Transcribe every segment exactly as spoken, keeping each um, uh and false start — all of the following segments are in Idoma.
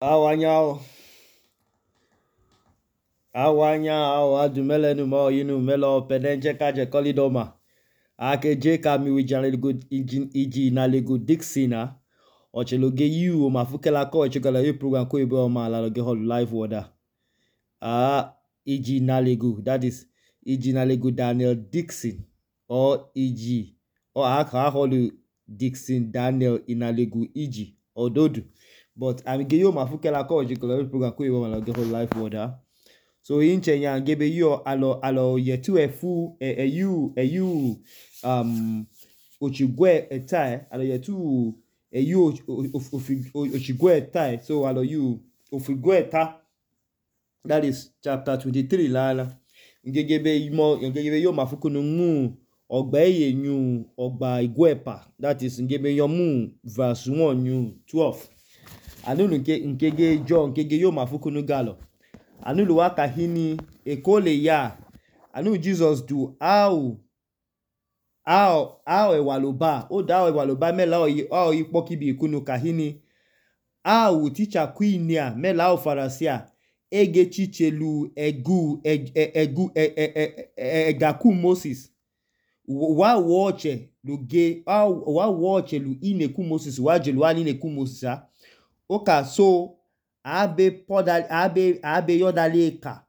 Awanyao awanyao adumele mo yinu melo pedenje kaje kolidoma akeje kami wijanlego iji na lego Dixina ocheloge yu mafukela ko echekala yu program ko ibe o ma la loge hol live order ah iji na lego, that is iji na lego Daniel Dixon or iji or aka holu Dixon Daniel inalego iji ododu. But I'm ge yo mafukela ko echekala yu program ko ibe o ma la loge hol live order. So inche nya ngebe yo alo alo yetu efu e, e you e you um ochigwe etai alo yetu e you ochigwe etai so alo you ofigwe eta, that is chapter twenty-three lala ngegebe mo ngegebe yo mafukunu mu ogba eye nyu ogba igwepa, that is ngebe yo mu verse one nyu twelve anunu nke nkege jo nkege yo mafukunu galo anulu waka hini ekole ya anu Jesus do how how how ewaloba o da ewaloba mela o o ipoki bi ikunu kahini how teacher queen ya mela o farasia ege chichelu egu egu egaku Moses wa woche luge wa woche lu ineku Moses wa jelu ani ineku Moses oka so abe poda abe abe yodale ka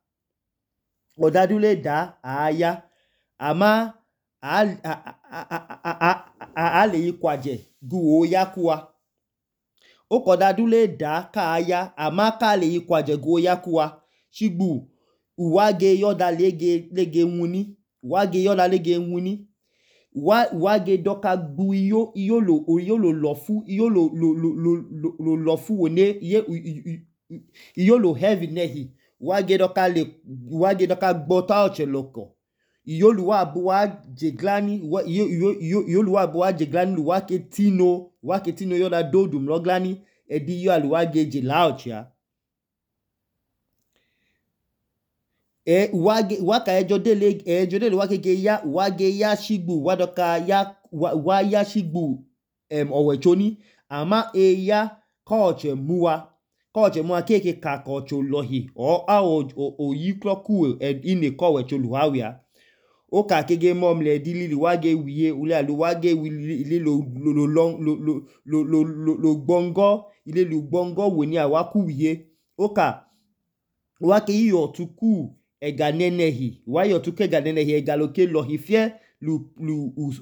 odadule da aya ama a a le ikwaje gu oyakuwa okodadule da ka aya ama ka le ikwaje gu oyakuwa shigbu uwage yodale ge lege nwuni wage yodale ge nwuni wa wage doka gbu iyo iyo lo iyo lo lofu iyo lo lo lo lo lofu wone iye iyo lo heavy nehi wage doka le wage doka gbota ocheloko iyo lu wa bu wa jeglani iyo iyo iyo iyo lu wa bu wa jeglani lu wake tino wake tino yoda dodum loglani edi yo alu wage jelauchia e wage waka ejodele ejodele wake ge ya wage ya shigbu wadoka ya wa, wa ya shigbu em owechoni ama e ya koche muwa koche muwa keke ka koche lohi o a o o yikloku ine kowecho luhawia o ka kege momle dilili wage wiye ule alu wage ile lo lo lo lo lo lo lo gbongo ile lu gbongo woni awaku wiye o ka wake iyo tuku ega nenehi wa yo tuke ega nenehi ega loke lohi fie lu lu u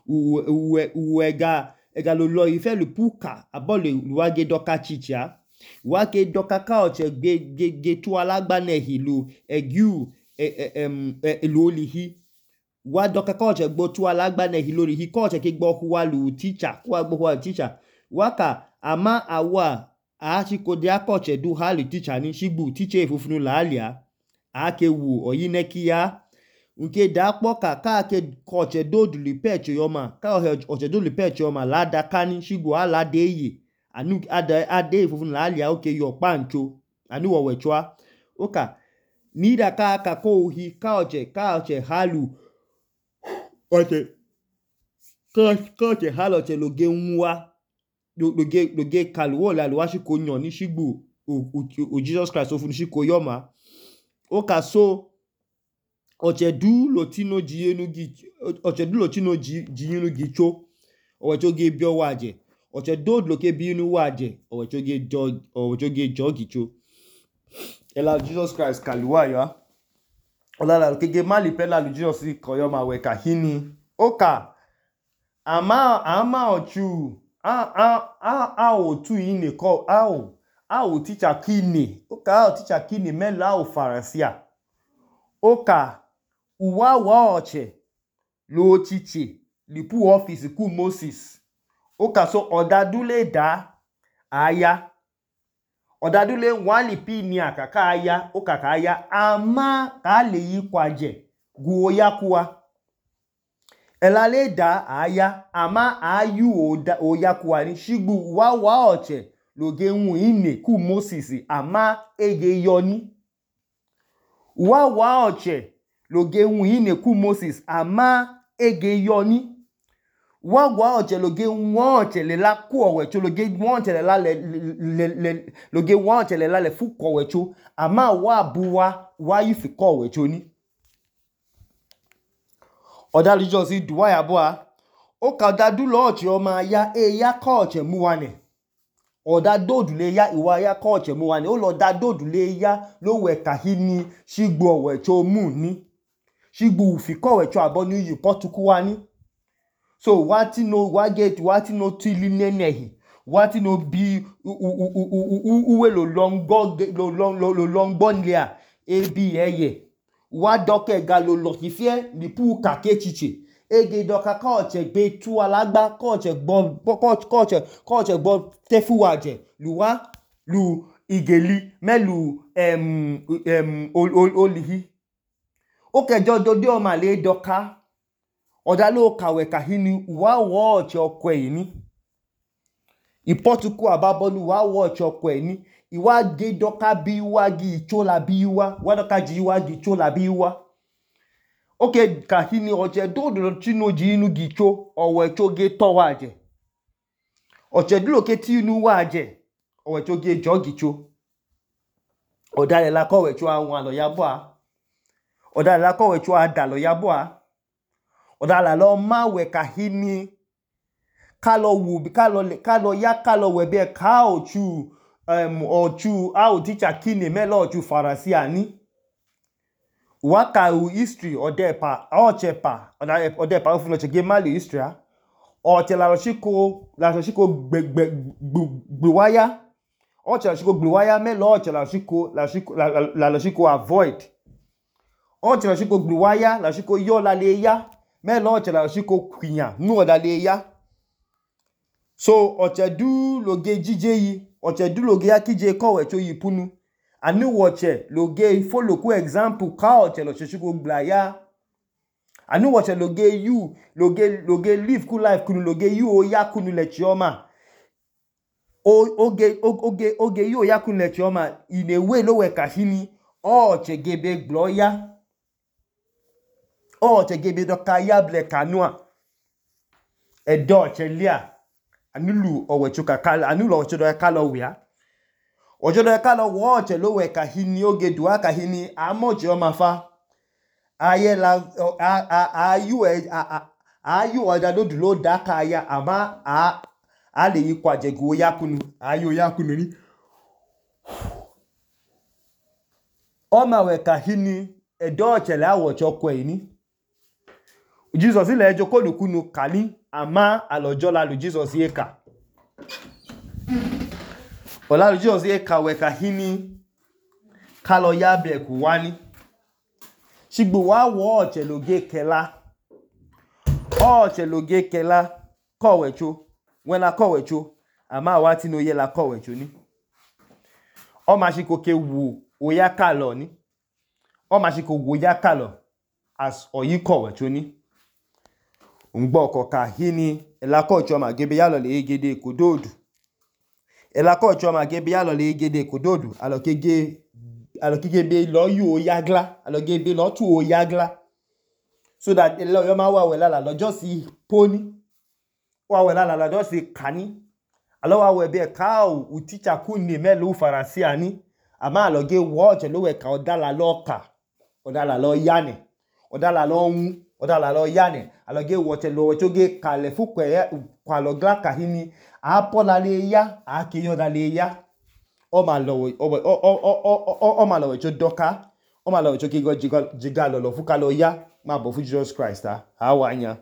u u ega ega lo lohi fie lu puka abole wage doka chicha wake doka ka oche ge ge ge tu alagba nehi lu egu em lu olihi wa doka ka oche gbo tu alagba nehi lori hi ka oche ke gbo huwa lu teacher wa gbo huwa teacher waka ama awa a chikode akoche du halu teacher ni shigbu teacher efufunu lalia ake wu oyinekiya nke da kpoka ka ke koche dodu lipecho yoma ka oche dodu lipecho yoma lada kani shigbu ala deye anu ada ade efufunu lalia oke yo pancho anu wowechwa oka nida ka ka ko uhi ka oche ka oche halu oche ka ka oche halu oche loge nwa loge loge kaluwo la luwashi ko nyon ni shigbu o Jesus Christ ofunu shiko yoma oka so oche du lotino jiyenu gi oche du lotino jiyenu gi cho owecho ge bio waje oche do loke biinu waje owecho ge jo owecho ge jo gi cho ela Jesus Christ kaluwa ya olala kege mali pela lu Jesus ko yoma we kahini oka ama ama ochu a a a a otu ine ko a o a o teacher kini oka a o teacher kini mela o farasia oka uwa wa oche lo chiche lipu office ku Moses oka so odadule da aya odadule wali pi ni akaka aya oka ka aya ama ka le yikwaje gu oyakuwa elale da aya ama ayu oda oyakuwa ni shigbu wa wa oche loge nwu ine ku Moses ama ege yoni wa wa oche loge nwu ine ku Moses ama ege yoni wa gwa oche loge wa oche le la ku owecho loge wa oche le la le le loge wa oche le la le fu ko owecho ama wa buwa wa yifi ko owecho ni oda Jesus duwa ya bua o ka da du lo oche o ma ya e ya ko oche mu wa ne oda dodu le ya iwa ya ko oche mu wa ne o lo da dodu le ya lo we ka hini shigbo owecho mu ni shigbo ufi ko owecho abo ni yi potuku wa ni so wati no wa get wati no tili nenehi wati no bi uwe lo longo lo long lo longbo nlia ebi eye wa doke ga lo lo kifie ni pu ka kechiche ege doka ka oche gbe tu alagba ka oche gbo ka oche ka oche gbo tefu waje luwa lu igeli melu em em olihi o ke jodo de o ma le doka oda lo kawe ka hini wa wo oche okwe ni ipotuku ababonu wa wo oche okwe ni iwa ge doka bi wa gi ichola bi wa wa doka ji wa gi ichola bi wa oke ka hini oche dodo chino ji inu gi cho owecho ge to waje oche dulo ke ti inu waje owecho ge jo gi cho oda le la ko owecho awon alo ya bua oda le la ko owecho ada lo ya bua oda la lo ma we ka hini ka lo wu ka lo ka lo ya ka lo we be ka ochu um ochu a o teacher kini me lo ochu farasi ani wa ka u history odepa oche pa oda odepa o fu no che ge mali history a oche la lo shiko la lo shiko gbe gbe gbe waya oche la shiko gbe waya me lo oche la shiko la shiko la lo shiko avoid oche la shiko gbe waya la shiko yo la le ya me lo oche la shiko kwinya nu oda le ya so oche du loge jije yi oche du loge ya kije ko wecho yi punu anu oche loge follow ku example ka oche lo shiko gba ya anu oche loge you loge loge live ku life kunu loge you o ya kunu le chioma o oge oge oge you o ya kunu le chioma in a way lo we ka hini oche gebe gbo ya oche gebe do ka ya ble kanua edo oche lia anulu owecho ka kala anulu oche do ka lo wia ojo do ka lo wo oche lo we ka hini oge duwa ka hini amoje o ma fa aye la ayu ayu oda do dulo da ka ya ama a a le yi kwaje go yakunu ayu yakunu ni o ma we ka hini edo oche la wo chokwe ni Jesus ile ejo ko lukunu kani ama alojo la lu Jesus ye ka ola lu Jesus ye ka we ka hini ka lo ya be ku wani shigbo wa wo oche loge kela oche loge kela ko wecho when la ko wecho ama wa ti no ye la ko wecho ni o ma shiko ke wu o ya ka lo ni o ma shiko wo ya ka lo as oyi ko wecho ni ngbo ko ka hini ela ko cho ma gebe ya lo le egede kododu ela ko cho ma gebe ya lo le egede kododu alo kege alo kege be lo yu o yagla alo gebe lo tu o yagla so that elo yo ma wa we la la lo just poni wa we la la lo just kani alo wa we be ka u teacher ku ni me lo farasi ani ama alo ge wo je lo we ka odala lo ka odala lo yane odala lo hu odala lo yane alo ge wo che lo we cho ge kale fu kwe kwa lo gla ka hini a pola le ya a ke yo da le ya o ma lo o o o o ma lo we cho doka o ma lo we cho ki go jiga lo lo fu ka lo ya ma bo fu Jesus Christ a ha wa nya